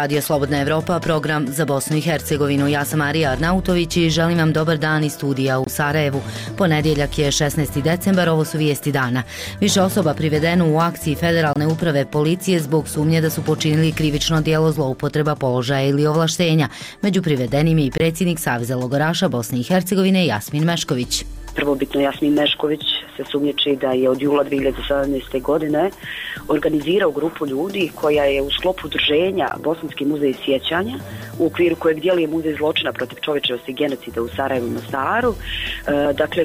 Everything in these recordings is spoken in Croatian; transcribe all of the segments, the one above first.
Radio Slobodna Evropa, program za Bosnu i Hercegovinu. Ja sam Marija Arnautović i želim vam dobar dan iz studija u Sarajevu. Ponedjeljak je 16. decembar, ovo su vijesti dana. Više osoba privedeno u akciji Federalne uprave policije zbog sumnje da su počinili krivično djelo zloupotreba položaja ili ovlaštenja. Među privedenim je i predsjednik Saveza logoraša Bosne i Hercegovine Jasmin Mešković. Prvobitno Jasmin Mešković se sumnjiči da je od jula 2017. godine organizirao grupu ljudi koja je u sklopu udruženja Bosanski muzej sjećanja, u okviru kojeg djeluje muzej zločina protiv čovječnosti i genocida u Sarajevu i Mostaru,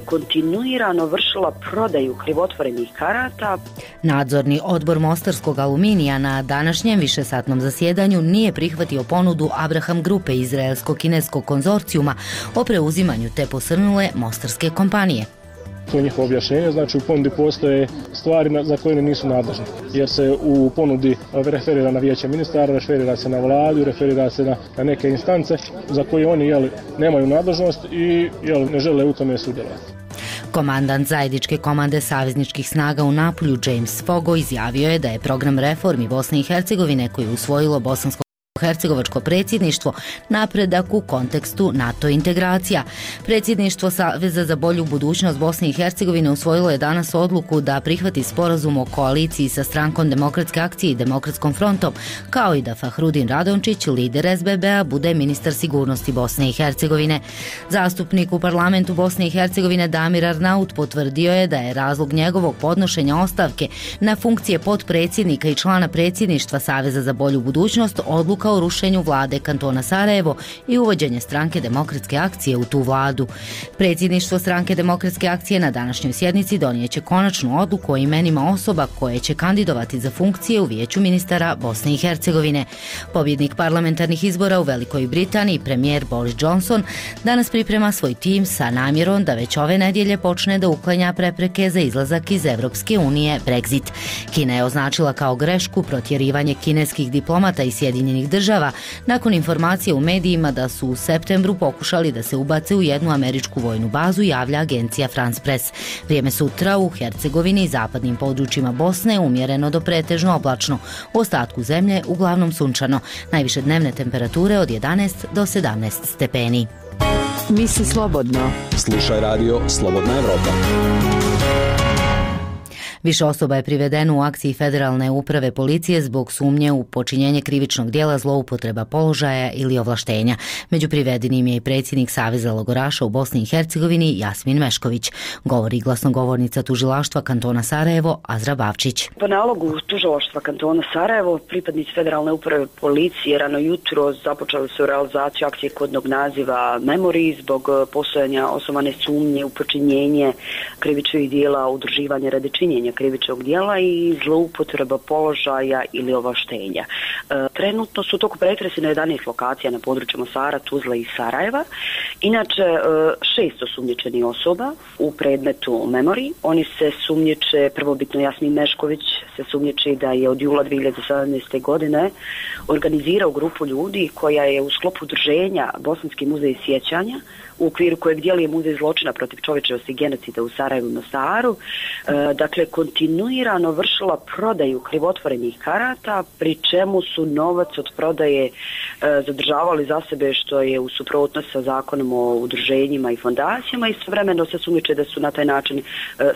kontinuirano vršila prodaju krivotvorenih karata. Nadzorni odbor Mostarskog aluminija na današnjem višesatnom zasjedanju nije prihvatio ponudu Abraham grupe izraelsko-kineskog konzorcijuma o preuzimanju te posrnule mostarske kompanije. To je njihovo objašnjenje, znači u ponudi postoje stvari za koje nisu nadležne, jer se u ponudi referira na vijeće ministara, referira se na vladu, referira se na neke instance za koje oni nemaju nadležnost i ne žele u tome sudjelovati. Komandant zajedničke komande savezničkih snaga u Napulju James Fogo izjavio je da je program reformi Bosne i Hercegovine koji je usvojilo bosansko hercegovačko predsjedništvo napredak u kontekstu NATO integracija. Predsjedništvo Saveza za bolju budućnost Bosne i Hercegovine usvojilo je danas odluku da prihvati sporazum o koaliciji sa Strankom demokratske akcije i Demokratskom frontom, kao i da Fahrudin Radončić, lider SBB-a, bude ministar sigurnosti Bosne i Hercegovine. Zastupnik u parlamentu Bosne i Hercegovine Damir Arnaut potvrdio je da je razlog njegovog podnošenja ostavke na funkcije potpredsjednika i člana predsjedništva Saveza za bolju budućnost odluka o rušenju vlade kantona Sarajevo i uvođenje Stranke demokratske akcije u tu vladu. Predsjedništvo Stranke demokratske akcije na današnjoj sjednici donijeće konačnu odluku o imenima osoba koje će kandidovati za funkcije u vijeću ministara Bosne i Hercegovine. Pobjednik parlamentarnih izbora u Velikoj Britaniji, premijer Boris Johnson, danas priprema svoj tim sa namjerom da već ove nedjelje počne da uklanja prepreke za izlazak iz Evropske unije, Brexit. Kina je označila kao grešku protjerivanje kineskih diplomata i Sjedinjenih država nakon informacije u medijima da su u septembru pokušali da se ubace u jednu američku vojnu bazu, javlja agencija France Press. Vrijeme sutra u Hercegovini i zapadnim područjima Bosne umjereno do pretežno oblačno, u ostatku zemlje uglavnom sunčano. Najviše dnevne temperature od 11 do 17 stepeni. Misli slobodno. Slušaj radio Slobodna Evropa. Više osoba je privedeno u akciji Federalne uprave policije zbog sumnje u počinjenje krivičnog djela zloupotreba položaja ili ovlaštenja. Među privedenim je i predsjednik Saveza logoraša u Bosni i Hercegovini Jasmin Mešković, govori glasnogovornica tužilaštva kantona Sarajevo Azra Bavčić. Po nalogu tužilaštva kantona Sarajevo, pripadnici Federalne uprave policije rano jutro započeli su realizaciju akcije kodnog naziva Memorij zbog postojanja osnovane sumnje u počinjenje krivičnih djela, udruživanja radi činjenja krivičnog djela i zloupotreba položaja ili ovlaštenja. Trenutno su u toku pretresi na 11 lokacija na području Mostara, Tuzle i Sarajeva. Inače, 6 osumnjičenih osoba u predmetu Memorij. Oni se sumnjiče, prvobitno Jasmin Mešković se sumnjiči da je od jula 2017. godine organizirao grupu ljudi koja je u sklopu udruženja Bosanski muzej sjećanja, u okviru kojeg djeluje muzej zločina protiv čovječnosti i genocida u Sarajevu i Mostaru, kontinuirano vršila prodaju krivotvorenih karata, pri čemu su novac od prodaje zadržavali za sebe, što je u suprotnosti sa zakonom o udruženjima i fondacijama, i istovremeno se sumnjiče da su na taj način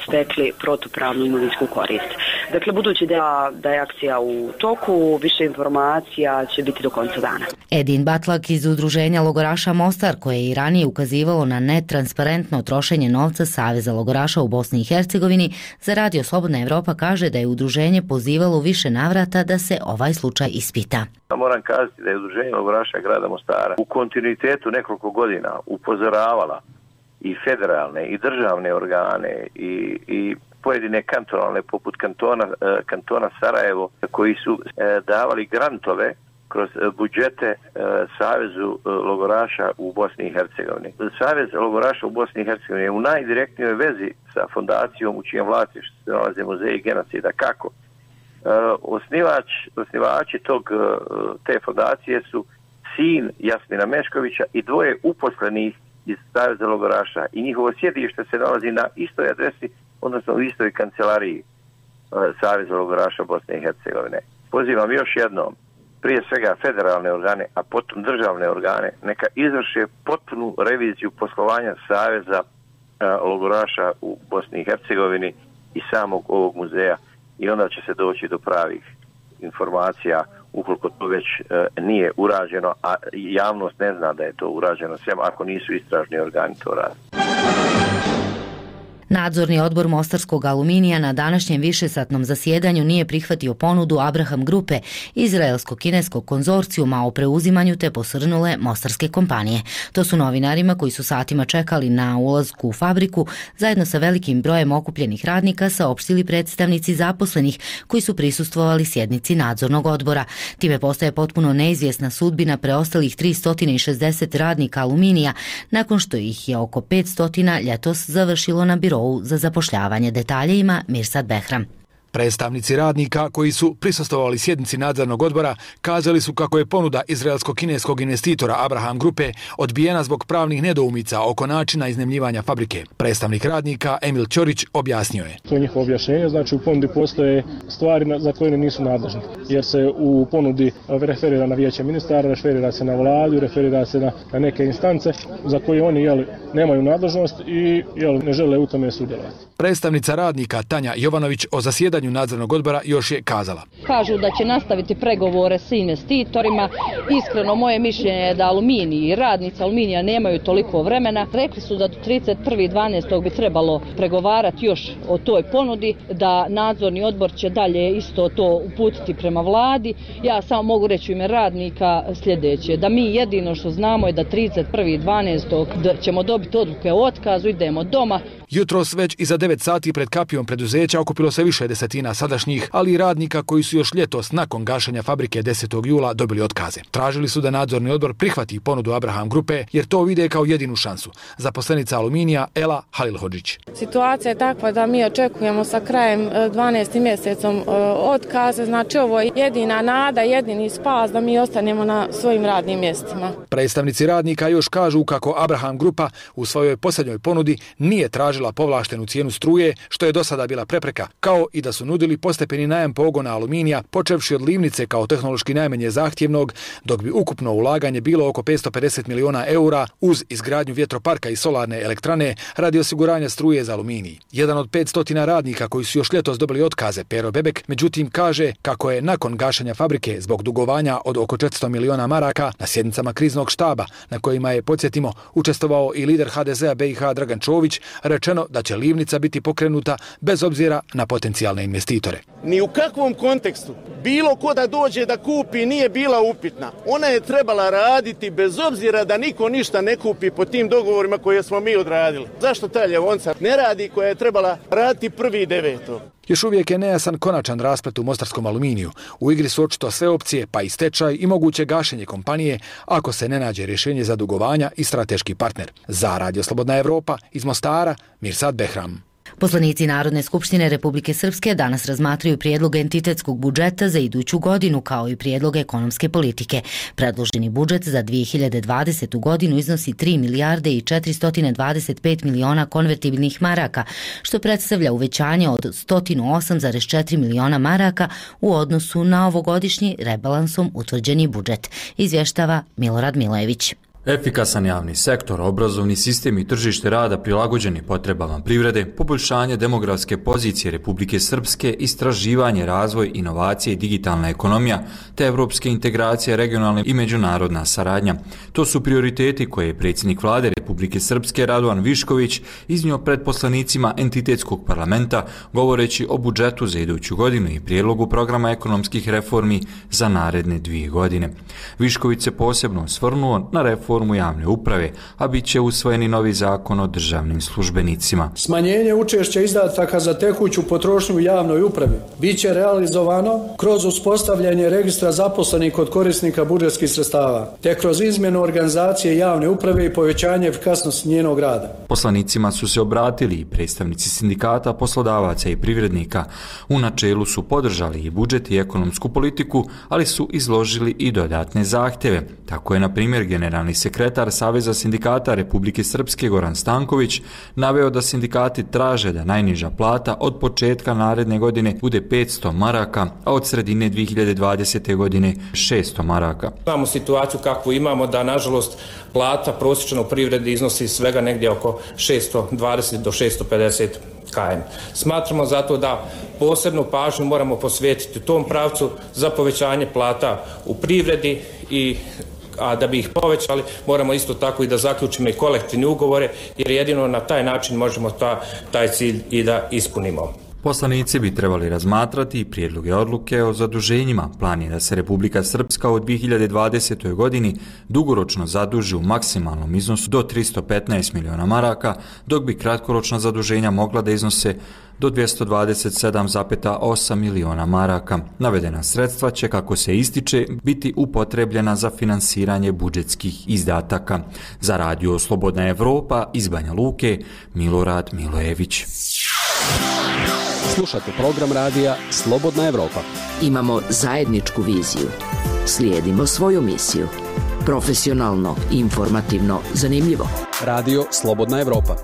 stekli protupravnu imovinsku korist. Dakle, budući da je akcija u toku, više informacija će biti do konca dana. Edin Batlak iz udruženja logoraša Mostar, koje je i ranije ukazivalo na netransparentno trošenje novca Saveza logoraša u Bosni i Hercegovini, za Radio Slobodna Evropa kaže da je udruženje pozivalo više navrata da se ovaj slučaj ispita. Moram kazati da je udruženje logoraša grada Mostara u kontinuitetu nekoliko godina upozoravala i federalne i državne organe i pojedine kantonalne poput kantona Sarajevo, koji su davali grantove kroz budžete Savezu logoraša u Bosni i Hercegovini. Savez logoraša u Bosni i Hercegovini je u najdirektnijoj vezi sa fondacijom u čijem vlasništvu se nalaze muzeji genocida. Kako? Osnivači te fondacije su sin Jasmina Meškovića i dvoje uposlenih iz Saveza logoraša i njihovo sjedište se nalazi na istoj adresi, odnosno u istoj kancelariji Saveza logoraša Bosne i Hercegovine. Pozivam još jednom prije svega federalne organe, a potom državne organe, neka izvrše potpunu reviziju poslovanja Saveza logoraša u Bosni i Hercegovini i samog ovog muzeja, i onda će se doći do pravih informacija ukoliko to već nije urađeno, a javnost ne zna da je to urađeno, sve ako nisu istražni organi to radi. Nadzorni odbor Mostarskog aluminija na današnjem višesatnom zasjedanju nije prihvatio ponudu Abraham grupe, izraelsko-kineskog konzorcijuma o preuzimanju te posrnule mostarske kompanije. To su novinarima koji su satima čekali na ulazku u fabriku, zajedno sa velikim brojem okupljenih radnika saopštili predstavnici zaposlenih koji su prisustvovali sjednici nadzornog odbora. Time postaje potpuno neizvjesna sudbina preostalih 360 radnika aluminija, nakon što ih je oko 500 ljetos završilo na birou za zapošljavanje. Detalje ima Mirsad Behram. Predstavnici radnika koji su prisustvovali sjednici nadzornog odbora kazali su kako je ponuda izraelsko-kineskog investitora Abraham grupe odbijena zbog pravnih nedoumica oko načina iznajmljivanja fabrike. Predstavnik radnika Emil Ćorić objasnio je. To je njihovo objašnjenje, znači u ponudi postoje stvari za koje nisu nadležni, jer se u ponudi referira na vijeće ministara, referira se na vladu, referira se na neke instance za koje oni nemaju nadležnost i ne žele u tome sudjelovati. Predstavnica radnika Tanja Jovanović o zasjedanju nadzornog odbora još je kazala. Kažu da će nastaviti pregovore s investitorima. Iskreno moje mišljenje je da Aluminij i radnici Aluminija nemaju toliko vremena. Rekli su da do 31.12. bi trebalo pregovarati još o toj ponudi, da nadzorni odbor će dalje isto to uputiti prema vladi. Ja samo mogu reći u ime radnika sljedeće, da mi jedino što znamo je da 31.12. ćemo dobiti odluke o otkazu, idemo doma. Jutros već iza 9 sati pred kapijom preduzeća okupilo se više desetina sadašnjih, ali i radnika koji su još ljetos nakon gašenja fabrike 10. jula dobili otkaze. Tražili su da nadzorni odbor prihvati ponudu Abraham grupe jer to vide kao jedinu šansu. Zaposlenica Aluminija Ela Halilhodžić. Situacija je takva da mi očekujemo sa krajem 12. mjesecom otkaze, znači ovo je jedina nada, jedini spas da mi ostanemo na svojim radnim mjestima. Predstavnici radnika još kažu kako Abraham grupa u svojoj posljednjoj ponudi nije tražila povlaštenu cijenu struje, što je do sada bila prepreka, kao i da su nudili postepeni najam pogona Aluminija, počevši od Livnice kao tehnološki najmanje zahtjevnog, dok bi ukupno ulaganje bilo oko 550 miliona eura uz izgradnju vjetroparka i solarne elektrane radi osiguranja struje za Aluminij. Jedan od 500 radnika koji su još ljetos dobili otkaze, Pero Bebek, međutim kaže kako je nakon gašenja fabrike zbog dugovanja od oko 400 miliona maraka na sjednicama kriznog štaba, na kojima je, podsjetimo, učestvovao i lider HDZ-a BiH Dragan Čović, rečeno da će Livnica biti pokrenuta bez obzira na potencijalne investitore. Ni u kakvom kontekstu bilo ko da dođe da kupi nije bila upitna. Ona je trebala raditi bez obzira da niko ništa ne kupi po tim dogovorima koje smo mi odradili. Zašto ta Ljevonca ne radi koja je trebala raditi 1.9. Još uvijek je nejasan konačan rasplet u Mostarskom Aluminiju. U igri su očito sve opcije, pa i stečaj i moguće gašenje kompanije ako se ne nađe rješenje za dugovanja i strateški partner. Za Radio Slobodna Evropa iz Mostara, Mirsad Behram. Poslanici Narodne skupštine Republike Srpske danas razmatraju prijedlog entitetskog budžeta za iduću godinu kao i prijedlog ekonomske politike. Predloženi budžet za 2020. godinu iznosi 3 milijarde i 425 miliona konvertibilnih maraka, što predstavlja uvećanje od 108,4 miliona maraka u odnosu na ovogodišnji rebalansom utvrđeni budžet, izvještava Milorad Milojević. Efikasan javni sektor, obrazovni sistem i tržište rada prilagođeni potrebama privrede, poboljšanje demografske pozicije Republike Srpske, istraživanje, razvoj, inovacije i digitalna ekonomija, te evropske integracije, regionalna i međunarodna saradnja. To su prioriteti koje je predsjednik vlade Republike Srpske Radovan Višković iznio pred poslanicima entitetskog parlamenta, govoreći o budžetu za iduću godinu i prijedlogu programa ekonomskih reformi za naredne 2 godine. Višković se posebno osvrnuo na reformu javne uprave, a bit će usvojeni novi zakon o državnim službenicima. Smanjenje učešća izdataka za tekuću potrošnju u javnoj upravi bit će realizovano kroz uspostavljanje registra zaposlenih kod korisnika budžetskih sredstava, te kroz izmjenu organizacije javne uprave i povećanje efikasnosti njenog rada. Poslanicima su se obratili i predstavnici sindikata, poslodavaca i privrednika. U načelu su podržali i budžet i ekonomsku politiku, ali su izložili i dodatne zahtjeve. Tako je, na primjer, generalni sekretar Saveza sindikata Republike Srpske Goran Stanković naveo da sindikati traže da najniža plata od početka naredne godine bude 500 maraka, a od sredine 2020. godine 600 maraka. Imamo situaciju kakvu imamo da, nažalost, plata prosječna u privredi iznosi svega negdje oko 620 do 650 km. Smatramo zato da posebnu pažnju moramo posvetiti u tom pravcu za povećanje plata u privredi a da bi ih povećali moramo isto tako i da zaključimo i kolektivne ugovore, jer jedino na taj način možemo taj cilj i da ispunimo. Poslanici bi trebali razmatrati i prijedloge odluke o zaduženjima. Plan je da se Republika Srpska u 2020. godini dugoročno zaduži u maksimalnom iznosu do 315 miliona maraka, dok bi kratkoročna zaduženja mogla da iznose do 227,8 miliona maraka. Navedena sredstva će, kako se ističe, biti upotrebljena za finansiranje budžetskih izdataka. Za radio Slobodna Evropa iz Banja Luke, Milorad Milojević. Slušate program radija Slobodna Evropa. Imamo zajedničku viziju. Slijedimo svoju misiju. Profesionalno, informativno, zanimljivo. Radio Slobodna Evropa.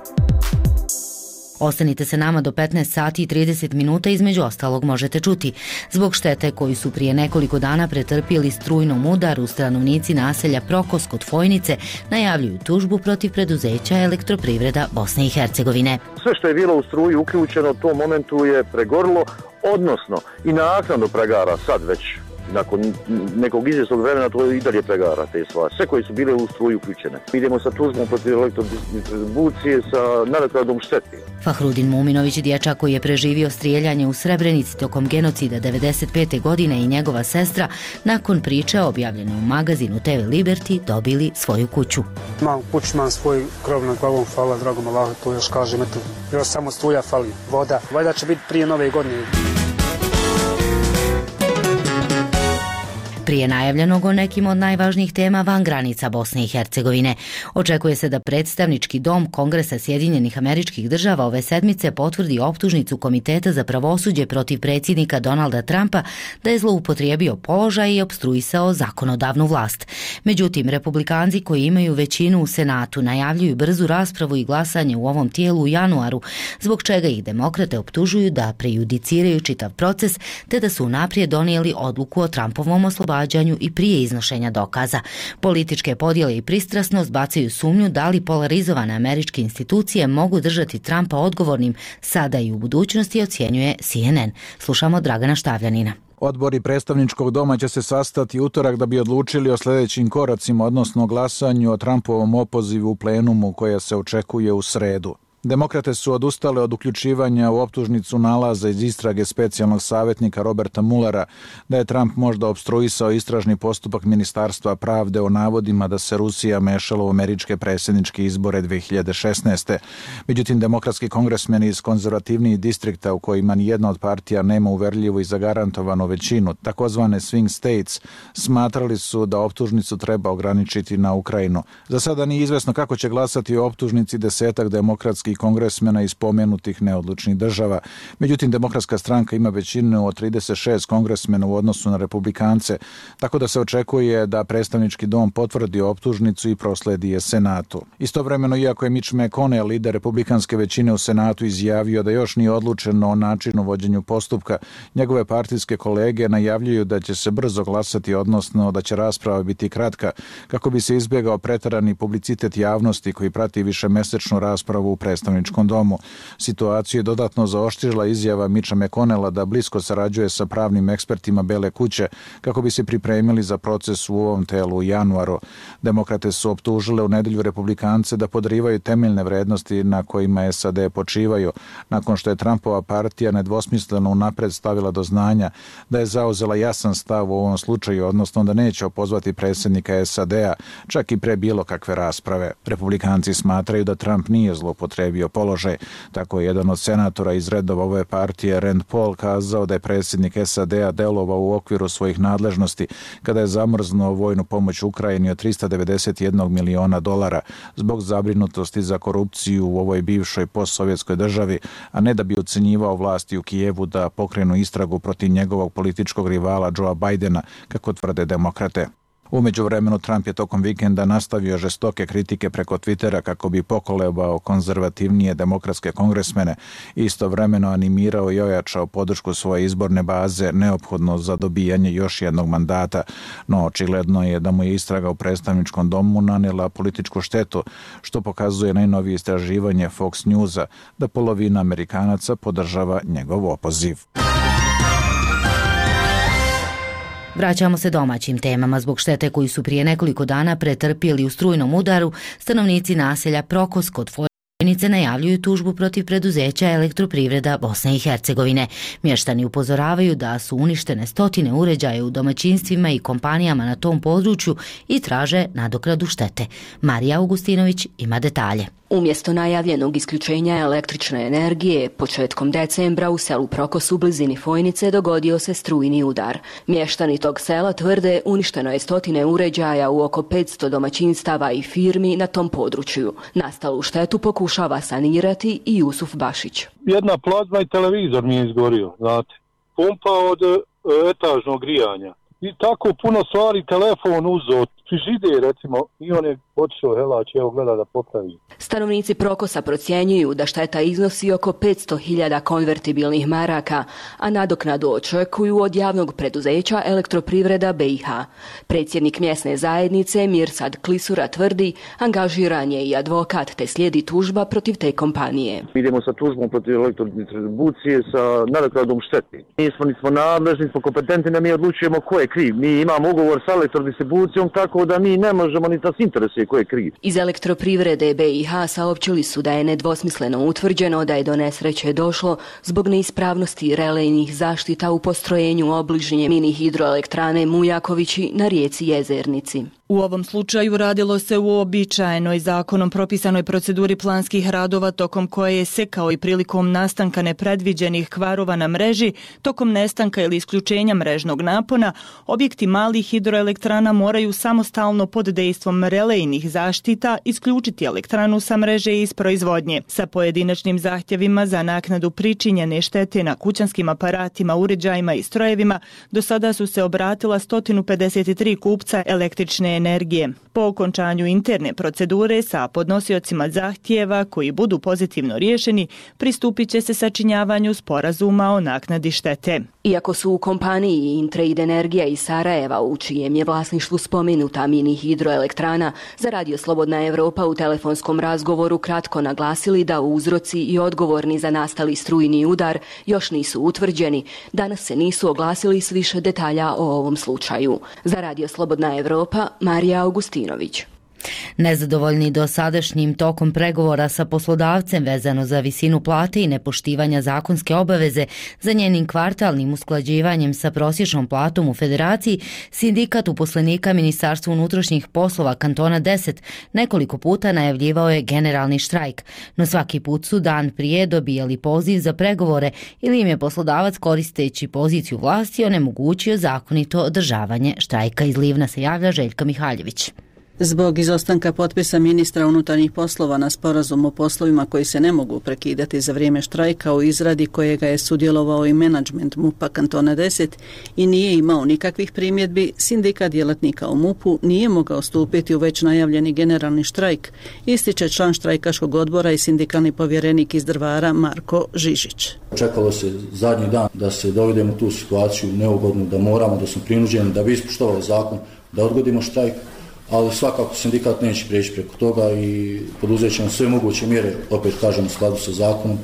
Ostanite se nama do 15 sati i 30 minuta, između ostalog možete čuti. Zbog štete koju su prije nekoliko dana pretrpjeli strujnom udaru, stanovnici naselja Prokos kod Fojnice najavljuju tužbu protiv preduzeća Elektroprivreda Bosne i Hercegovine. Sve što je bilo u struji uključeno u tom momentu je pregorilo, odnosno i naknadno pregara sad već. Nakon nekog izvjesnog vremena to i dalje pregara te stvari. Sve koje su bile u struju uključene. Idemo sa tužbom protiv elektrodistribucije sa nadoknadom štete. Fahrudin Muminović, dječak koji je preživio strijeljanje u Srebrenici tokom genocida 1995. godine, i njegova sestra, nakon priče objavljene u magazinu TV Liberty, dobili svoju kuću. Imam kuću, imam svoj krov nad glavom, hvala dragom Allahu, to još kažem, eto, još samo struja fali, voda. Valjda će biti prije nove godine. Prije najavljenog o nekim od najvažnijih tema van granica Bosne i Hercegovine. Očekuje se da predstavnički dom Kongresa Sjedinjenih Američkih Država ove sedmice potvrdi optužnicu Komiteta za pravosuđe protiv predsjednika Donalda Trumpa da je zloupotrijebio položaj i opstruisao zakonodavnu vlast. Međutim, republikanci koji imaju većinu u Senatu najavljuju brzu raspravu i glasanje u ovom tijelu u januaru, zbog čega ih demokrate optužuju da prejudiciraju čitav proces te da su unaprijed donijeli odluku o Trumpovom oslobađanju i prije iznošenja dokaza. Političke podjele i pristrasnost bacaju sumnju da li polarizovane američke institucije mogu držati Trumpa odgovornim sada i u budućnosti, ocjenjuje CNN. Slušamo Dragana Štavljanina. Odbori predstavničkog doma će se sastati utorak da bi odlučili o sljedećim koracima, odnosno glasanju o Trumpovom opozivu u plenumu koje se očekuje u sredu. Demokrate su odustale od uključivanja u optužnicu nalaza iz istrage specijalnog savjetnika Roberta Muellera da je Trump možda opstruisao istražni postupak Ministarstva pravde o navodima da se Rusija mešala u američke predsjedničke izbore 2016. Međutim, demokratski kongresmeni iz konzervativnijih distrikta u kojima nijedna od partija nema uverljivu i zagarantovanu većinu, takozvane swing states, smatrali su da optužnicu treba ograničiti na Ukrajinu. Za sada nije izvesno kako će glasati o optužnici desetak demokratskih kongresmena iz pomenutih neodlučnih država. Međutim, demokratska stranka ima većinu od 36 kongresmena u odnosu na republikance, tako da se očekuje da predstavnički dom potvrdi optužnicu i prosledi je Senatu. Istovremeno, iako je Mitch McConnell, lider republikanske većine u Senatu, izjavio da još nije odlučeno o načinu vođenju postupka, njegove partijske kolege najavljuju da će se brzo glasati, odnosno da će rasprava biti kratka, kako bi se izbjegao preterani publicitet javnosti koji prati višemesečnu raspravu u predstavničkom domu. Situaciju je dodatno zaoštrila izjava Mitcha McConnella da blisko sarađuje sa pravnim ekspertima Bele kuće kako bi se pripremili za proces u ovom telu u januaru. Demokrate su optužile u nedelju republikance da podrivaju temeljne vrednosti na kojima SAD počivaju, nakon što je Trumpova partija nedvosmisleno unapred stavila do znanja da je zauzela jasan stav u ovom slučaju, odnosno da neće opozvati predsjednika SAD-a, čak i pre bilo kakve rasprave. Republikanci smatraju da Trump nije zloupotrijebio položaj. Tako je jedan od senatora iz redova ove partije, Rand Paul, kazao da je predsjednik SAD-a delovao u okviru svojih nadležnosti kada je zamrznuo vojnu pomoć Ukrajini od $391 miliona zbog zabrinutosti za korupciju u ovoj bivšoj postsovjetskoj državi, a ne da bi ucenjivao vlasti u Kijevu da pokrenu istragu protiv njegovog političkog rivala Joea Bidena, kako tvrde demokrate. U međuvremenu Trump je tokom vikenda nastavio žestoke kritike preko Twittera kako bi pokolebao konzervativnije demokratske kongresmene i istovremeno animirao i ojačao podršku svoje izborne baze neophodno za dobijanje još jednog mandata, no očigledno je da mu je istraga u predstavničkom domu nanijela političku štetu, što pokazuje najnovije istraživanje Fox Newsa da polovina Amerikanaca podržava njegov opoziv. Vraćamo se domaćim temama. Zbog štete koju su prije nekoliko dana pretrpjeli u strujnom udaru, stanovnici naselja Prokos kod Fojnice najavljuju tužbu protiv preduzeća Elektroprivreda Bosne i Hercegovine. Mještani upozoravaju da su uništene stotine uređaja u domaćinstvima i kompanijama na tom području i traže nadoknadu štete. Marija Augustinović ima detalje. Umjesto najavljenog isključenja električne energije, početkom decembra u selu Prokos u blizini Fojnice dogodio se strujni udar. Mještani tog sela tvrde uništeno je stotine uređaja u oko 500 domaćinstava i firmi na tom području. Nastalu štetu pokušava sanirati i Jusuf Bašić. Jedna plazma i televizor mi je izgorio, znate. Pumpa od etažnog grijanja. I tako puno stvari, telefon uzeo, frižider recimo, i on je otišao helać, evo gleda da popravi. Stanovnici Prokosa procjenjuju da šteta iznosi oko 500.000 konvertibilnih maraka, a nadoknadu očekuju od javnog preduzeća Elektroprivreda BiH. Predsjednik mjesne zajednice Mirsad Klisura tvrdi, angažiran je i advokat te slijedi tužba protiv te kompanije. Idemo sa tužbom protiv elektrodistribucije sa nadoknadom štete. Nismo nadležni, nismo kompetentni, da mi odlučujemo ko je kriv. Mi imamo ugovor sa elektrodistribucijom, tako da mi ne možemo ni nas interesuje ko je kriv. Iz Elektroprivrede BiH saopćili su da je nedvosmisleno utvrđeno da je do nesreće došlo zbog neispravnosti relejnih zaštita u postrojenju obližnje mini hidroelektrane Mujakovići na rijeci Jezernici. U ovom slučaju radilo se u uobičajenoj zakonom propisanoj proceduri planskih radova tokom koje je se kao i prilikom nastanka nepredviđenih kvarova na mreži, tokom nestanka ili isključenja mrežnog napona, objekti malih hidroelektrana moraju samostalno pod dejstvom relejnih zaštita isključiti elektranu sa mreže iz proizvodnje. Sa pojedinačnim zahtjevima za naknadu pričinjene štete na kućanskim aparatima, uređajima i strojevima do sada su se obratila 153 kupca električne energije. Po okončanju interne procedure sa podnosiocima zahtjeva koji budu pozitivno riješeni, pristupit će se sačinjavanju sporazuma o naknadi štete. Iako su u kompaniji Intrade Energija iz Sarajeva, u čijem je vlasništvu spomenuta mini hidroelektrana, za Radio Slobodna Evropa u telefonskom razgovoru kratko naglasili da uzroci i odgovorni za nastali strujni udar još nisu utvrđeni, danas se nisu oglasili s više detalja o ovom slučaju. Za Radio Slobodna Evropa, Marija Augustinović. Nezadovoljni dosadašnjim tokom pregovora sa poslodavcem vezano za visinu plate i nepoštivanja zakonske obaveze za njenim kvartalnim usklađivanjem sa prosječnom platom u Federaciji, sindikat uposlenika Ministarstva unutrašnjih poslova kantona 10 nekoliko puta najavljivao je generalni štrajk, no svaki put su dan prije dobijali poziv za pregovore ili im je poslodavac koristeći poziciju vlasti onemogućio zakonito održavanje štrajka. Iz Livna se javlja Željka Mihaljević. Zbog izostanka potpisa ministra unutarnjih poslova na sporazum o poslovima koji se ne mogu prekidati za vrijeme štrajka u izradi kojega je sudjelovao i menadžment MUP-a kantona 10 i nije imao nikakvih primjedbi, sindikat djelatnika u MUP-u nije mogao stupiti u već najavljeni generalni štrajk, ističe član štrajkaškog odbora i sindikalni povjerenik iz Drvara Marko Žižić. Čekalo se zadnji dan da se dovedemo u tu situaciju neugodnu, da moramo, da smo prinuđeni, da bi ispoštovali zakon, da odgodimo štrajk, ali svakako sindikat neće prijeći preko toga i poduzet ćemo sve moguće mjere, opet kažem u skladu sa zakonom,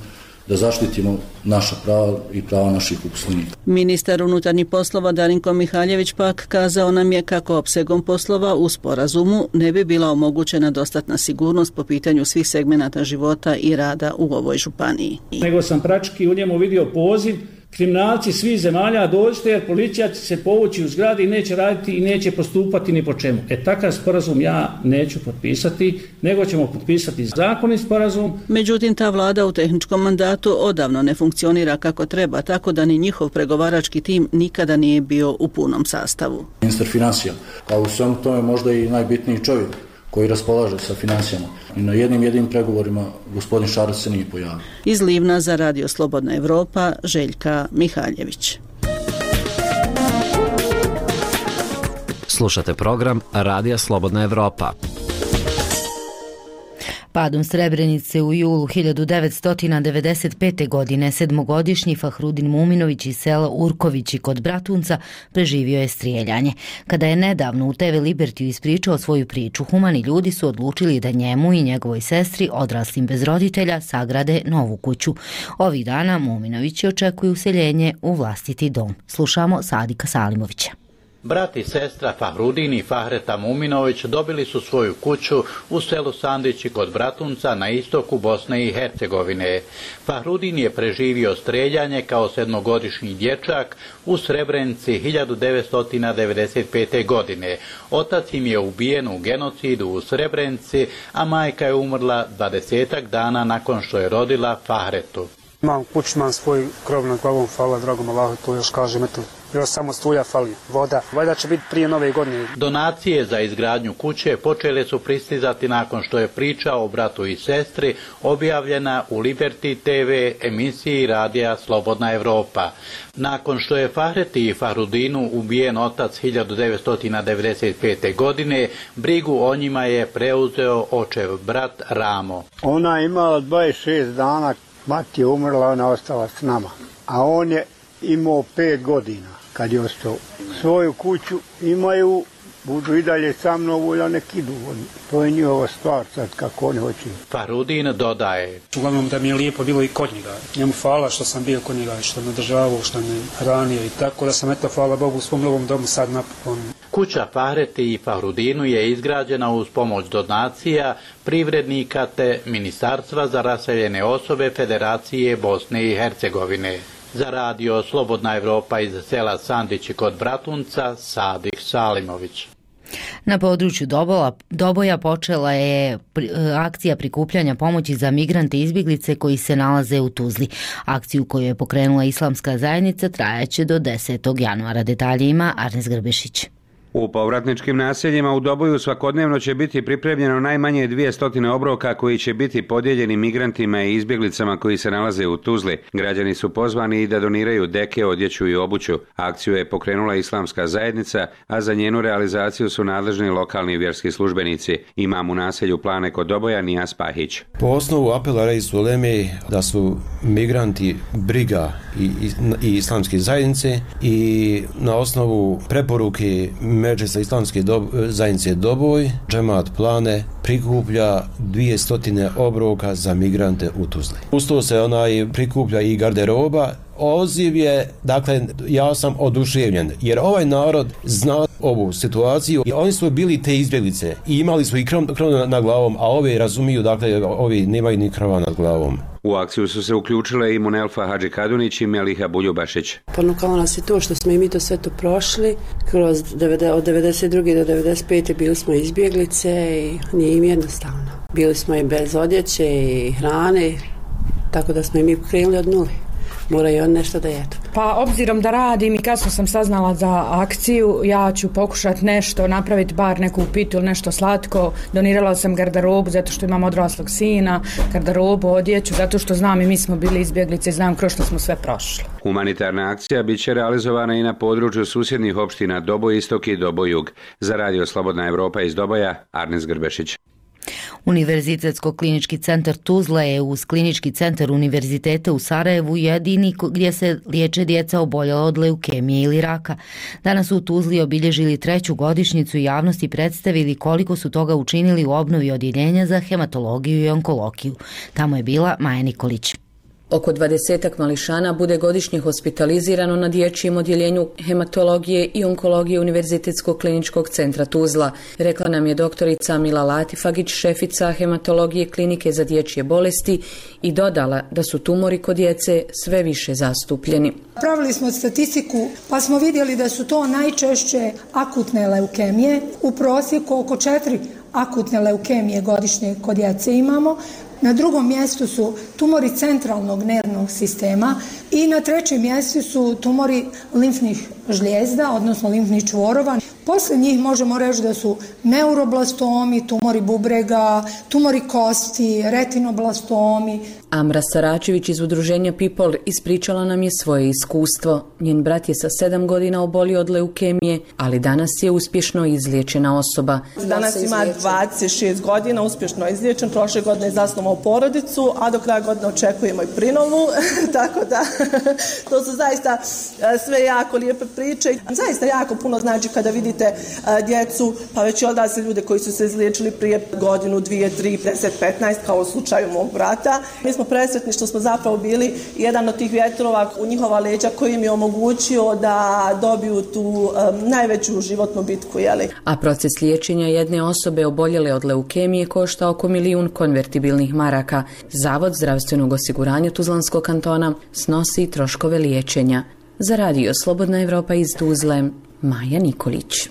da zaštitimo naša prava i prava naših uposlenika. Ministar unutarnjih poslova Darinko Mihaljević pak kazao nam je kako opsegom poslova u sporazumu ne bi bila omogućena dostatna sigurnost po pitanju svih segmenata života i rada u ovoj županiji. Nego sam praktički u njemu vidio poziv, kriminalci svih zemalja dođite jer policija će se povući u zgradi i neće raditi i neće postupati ni po čemu. Takav sporazum ja neću potpisati, nego ćemo potpisati zakonit sporazum. Međutim, ta vlada u tehničkom mandatu odavno ne funkcionira kako treba, tako da ni njihov pregovarački tim nikada nije bio u punom sastavu. Ministar financija, a u svemu tome možda i najbitniji čovjek koji raspolaže sa financijama. I na jednim pregovorima gospodin Šarac se nije pojavio. Iz Livna za Radio Slobodna Evropa, Željka Mihaljević. Slušate program Radija Slobodna Evropa. Padom Srebrenice u julu 1995. godine sedmogodišnji Fahrudin Muminović iz sela Urkovići kod Bratunca preživio je strijeljanje. Kada je nedavno u TV Libertiju ispričao svoju priču, humani ljudi su odlučili da njemu i njegovoj sestri, odraslim bez roditelja, sagrade novu kuću. Ovih dana Muminovići očekuju useljenje u vlastiti dom. Slušamo Sadika Salimovića. Brat i sestra Fahrudin i Fahreta Muminović dobili su svoju kuću u selu Sandići kod Bratunca na istoku Bosne i Hercegovine. Fahrudin je preživio streljanje kao sedmogodišnji dječak u Srebrenici 1995. godine. Otac im je ubijen u genocidu u Srebrenici, a majka je umrla 20 dana nakon što je rodila Fahretu. Imam kuću, imam svoj krov nad glavom, hvala dragom Allahu, to još kažem, eto, još samo struja fali, voda. Valjda će biti prije nove godine. Donacije za izgradnju kuće počele su pristizati nakon što je priča o bratu i sestri objavljena u Liberty TV emisiji Radija Slobodna Evropa. Nakon što je Fahreti i Fahrudinu ubijen otac 1995. godine, brigu o njima je preuzeo očev brat Ramo. Ona je imala 26 dana, mati je umrla, ona ostala s nama. A on je imao 5 godina kad je ostao. Svoju kuću imaju, budu i dalje sa mnom, volja nek idu. To je njihova stvar sad kako oni hoće. Fahrudin dodaje. Uglavnom da mi je lijepo bilo i kod njega. Njemu hvala što sam bio kod njega, što me državao, što me hranio i tako da sam eto hvala Bogu u svom novom domu sad napokon. Kuća Fahreti i Fahrudinu je izgrađena uz pomoć donacija, privrednika te Ministarstva za raseljene osobe Federacije Bosne i Hercegovine. Za Radio Slobodna Evropa iz sela Sandići kod Bratunca, Sadik Salimović. Na području Doboja počela je akcija prikupljanja pomoći za migrante i izbjeglice koji se nalaze u Tuzli. Akciju koju je pokrenula Islamska zajednica trajaće do 10. januara. Detalje ima Arnes Grbešić. U povratničkim naseljima u Doboju svakodnevno će biti pripremljeno najmanje 200 obroka koji će biti podijeljeni migrantima i izbjeglicama koji se nalaze u Tuzli. Građani su pozvani i da doniraju deke, odjeću i obuću. Akciju je pokrenula Islamska zajednica, a za njenu realizaciju su nadležni lokalni vjerski službenici. Imam u naselju Plane kod Doboja Nijas Pahić. Po osnovu apela Reis Uleme da su migranti briga i Islamske zajednice i na osnovu preporuke Medžlisa Islamske zajednice Doboj, džemat Plane prikuplja 200 obroka za migrante u Tuzli. Uz to se prikuplja i garderoba. Odziv je, dakle, ja sam oduševljen, jer ovaj narod zna ovu situaciju i oni su bili te izbjeglice i imali su i krov nad glavom, a ovi razumiju, dakle, ovi nemaju ni krova nad glavom. U akciju su se uključile i Munelfa Hadži Kadunić i Meliha Buljubašić. Ponukalo nas je to što smo i mi to sve to prošli. Od 92. do 95. bili smo izbjeglice i nije im jednostavno. Bili smo i bez odjeće i hrane, tako da smo i mi krenuli od nule. Moraju on nešto da jedu. Pa obzirom da radim i kasno sam saznala za akciju, ja ću pokušati nešto, napraviti bar neku pitu ili nešto slatko. Donirala sam garderobu zato što imam odraslog sina, garderobu, odjeću, zato što znam i mi smo bili izbjeglice i znam kroz što smo sve prošli. Humanitarna akcija bit će realizovana i na području susjednih opština Doboj Istok i Doboj Jug. Za Radio Slobodna Evropa iz Doboja, Arnes Grbešić. Univerzitetsko-klinički centar Tuzla je uz klinički centar Univerziteta u Sarajevu jedini gdje se liječe djeca oboljela od leukemije ili raka. Danas su u Tuzli obilježili 3. godišnjicu i javnosti predstavili koliko su toga učinili u obnovi odjeljenja za hematologiju i onkologiju. Tamo je bila Maja Nikolić. Oko 20 mališana bude godišnje hospitalizirano na dječjem odjeljenju hematologije i onkologije Univerzitetskog kliničkog centra Tuzla, rekla nam je doktorica Mila Latifagić, šefica hematologije klinike za dječje bolesti, i dodala da su tumori kod djece sve više zastupljeni. Pravili smo statistiku pa smo vidjeli da su to najčešće akutne leukemije, u prosjeku oko 4 akutne leukemije godišnje kod djece imamo. Na drugom mjestu su tumori centralnog nervnog sistema i na trećem mjestu su tumori limfnih žlijezda, odnosno limfnih čvorova. Posle njih možemo reći da su neuroblastomi, tumori bubrega, tumori kosti, retinoblastomi. Amra Saračević iz udruženja People ispričala nam je svoje iskustvo. Njen brat je sa 7 godina obolio od leukemije, ali danas je uspješno izliječena osoba. Danas ima 26 godina, uspješno izliječen, prošle godine je zasnovao porodicu, a do kraja godine očekujemo i prinovu, tako da to su zaista sve jako lijepe priče. Zaista jako puno znači kada vidite djecu, pa već i odrasle ljude koji su se izliječili prije godinu, 2, 3, 10, 15, kao u slučaju mog brata. Mi smo presretni što smo zapravo bili jedan od tih vjetrova u njihova leđa koji im je omogućio da dobiju tu najveću životnu bitku. Jeli? A proces liječenja jedne osobe oboljele od leukemije košta oko 1 milijun konvertibilnih maraka. Zavod zdravstvenog osiguranja Tuzlanskog kantona snosi troškove liječenja. Za radio Slobodna Evropa iz Tuzle, Maja Nikolić.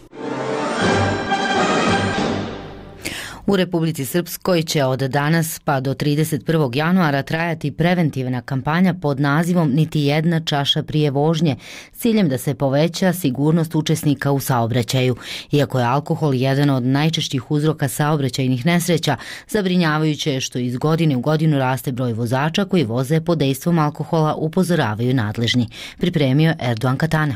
U Republici Srpskoj će od danas pa do 31. januara trajati preventivna kampanja pod nazivom Niti jedna čaša prije vožnje, s ciljem da se poveća sigurnost učesnika u saobraćaju. Iako je alkohol jedan od najčešćih uzroka saobraćajnih nesreća, zabrinjavajuće je što iz godine u godinu raste broj vozača koji voze pod dejstvom alkohola, upozoravaju nadležni. Pripremio Erdogan Katana.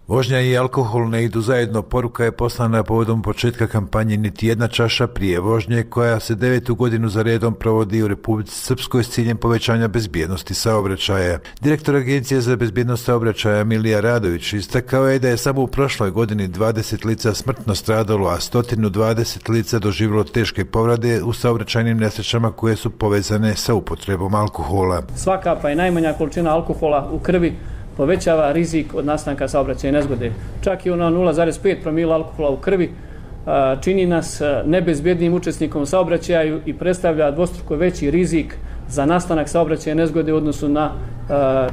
Vožnja i alkohol ne idu zajedno, poruka je poslana povodom početka kampanje Niti jedna čaša prije vožnje, koja se 9. godinu za redom provodi u Republici Srpskoj s ciljem povećanja bezbjednosti saobraćaja. Direktor Agencije za bezbjednost saobraćaja Milija Radović istakao je da je samo u prošloj godini 20 lica smrtno stradalo, a 120 lica doživjelo teške povrede u saobraćajnim nesrećama koje su povezane sa upotrebom alkohola. Svaka pa i najmanja količina alkohola u krvi povećava rizik od nastanka saobraćajne nezgode. Čak i ona 0,5 promila alkohola u krvi čini nas nebezbjednim učesnikom saobraćaju i predstavlja dvostruko veći rizik za nastanak saobraćajne nezgode u odnosu na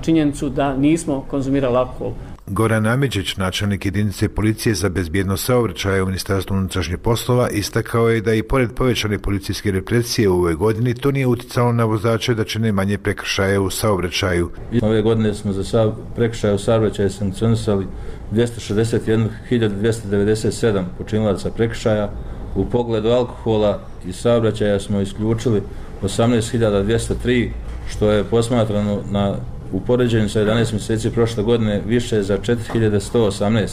činjenicu da nismo konzumirali alkohol. Goran Amidžić, načelnik jedinice policije za bezbjednost saobraćaja u Ministarstvu unutrašnjih poslova, istakao je da i pored povećane policijske represije u ovoj godini to nije uticalo na vozače da čine manje prekršaja u saobraćaju. Ove godine smo za prekršaje u saobraćaju sankcionisali 261.297 počinilaca prekršaja. U pogledu alkohola i saobraćaja smo isključili 18.203, što je posmatrano u poređenju sa 11 mjeseci prošle godine više za 4.118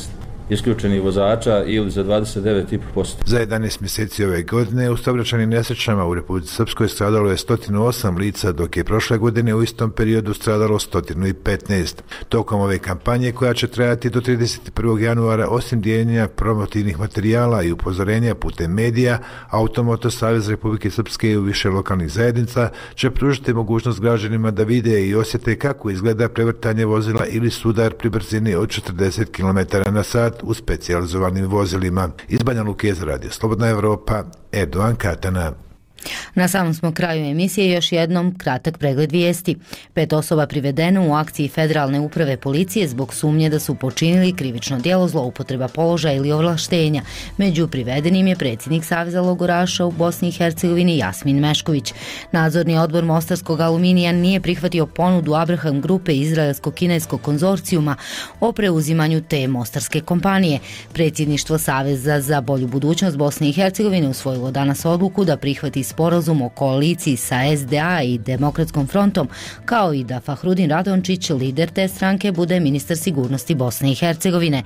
isključenih vozača ili za 29,5%. Za 11 mjeseci ove godine u saobraćajnim nesrećama u Republici Srpskoj stradalo je 108 lica, dok je prošle godine u istom periodu stradalo 115. Tokom ove kampanje, koja će trajati do 31. januara, osim dijeljenja promotivnih materijala i upozorenja putem medija, Automoto Savez Republike Srpske i u više lokalnih zajednica će pružiti mogućnost građanima da vide i osjete kako izgleda prevrtanje vozila ili sudar pri brzini od 40 km/h u specijalizovanim vozilima. Iz Banja Luke za radio Slobodna Evropa, Erdogan Katana. Na samom smo kraju emisije, još jednom kratak pregled vijesti. 5 osoba privedeno u akciji Federalne uprave policije zbog sumnje da su počinili krivično djelo zloupotreba položaja ili ovlaštenja. Među privedenim je predsjednik Saveza logoraša u Bosni i Hercegovini Jasmin Mešković. Nadzorni odbor Mostarskog aluminija nije prihvatio ponudu Abraham grupe izraelsko-kineskog konzorcijuma o preuzimanju te mostarske kompanije. Predsjedništvo Saveza za bolju budućnost Bosne i Hercegovine usvojilo danas odluku da prihvati sporazum o koaliciji sa SDA i Demokratskom frontom, kao i da Fahrudin Radončić, lider te stranke, bude ministar sigurnosti Bosne i Hercegovine.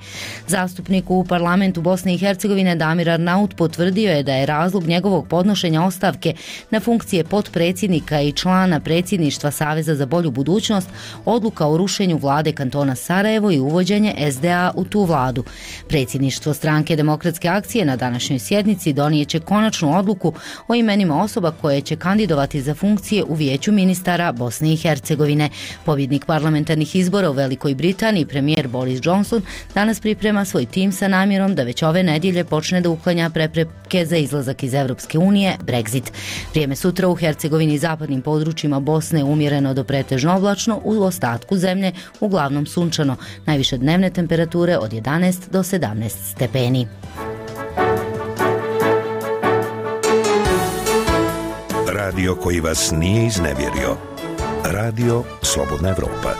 Zastupnik u parlamentu Bosne i Hercegovine Damir Arnaut potvrdio je da je razlog njegovog podnošenja ostavke na funkcije potpredsjednika i člana predsjedništva Saveza za bolju budućnost odluka o rušenju vlade kantona Sarajevo i uvođenje SDA u tu vladu. Predsjedništvo stranke Demokratske akcije na današnjoj sjednici donijeće konačnu odluku o imenima osoba koje će kandidovati za funkcije u Vijeću ministara Bosne i Hercegovine. Pobjednik parlamentarnih izbora u Velikoj Britaniji, premijer Boris Johnson, danas priprema svoj tim sa namjerom da već ove nedjelje počne da uklanja prepreke za izlazak iz Evropske unije, Brexit. Vrijeme sutra u Hercegovini i zapadnim područjima Bosne umjereno do pretežno oblačno, u ostatku zemlje uglavnom sunčano. Najviše dnevne temperature od 11 do 17 stepeni. Radio koji vas nije iznevjerio. Radio Slobodna Evropa.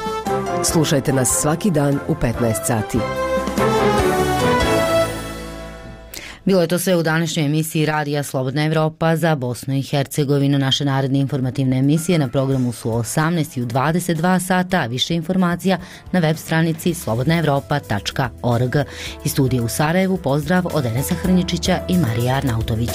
Slušajte nas svaki dan u 15 sati. Bilo je to sve u današnjoj emisiji Radija Slobodna Evropa za Bosnu i Hercegovinu. Naše naredne informativne emisije na programu su 18 i u 22 sata, a više informacija na web stranici slobodnaevropa.org. Iz studija u Sarajevu pozdrav od Enesa Hrnjičića i Marija Arnautović.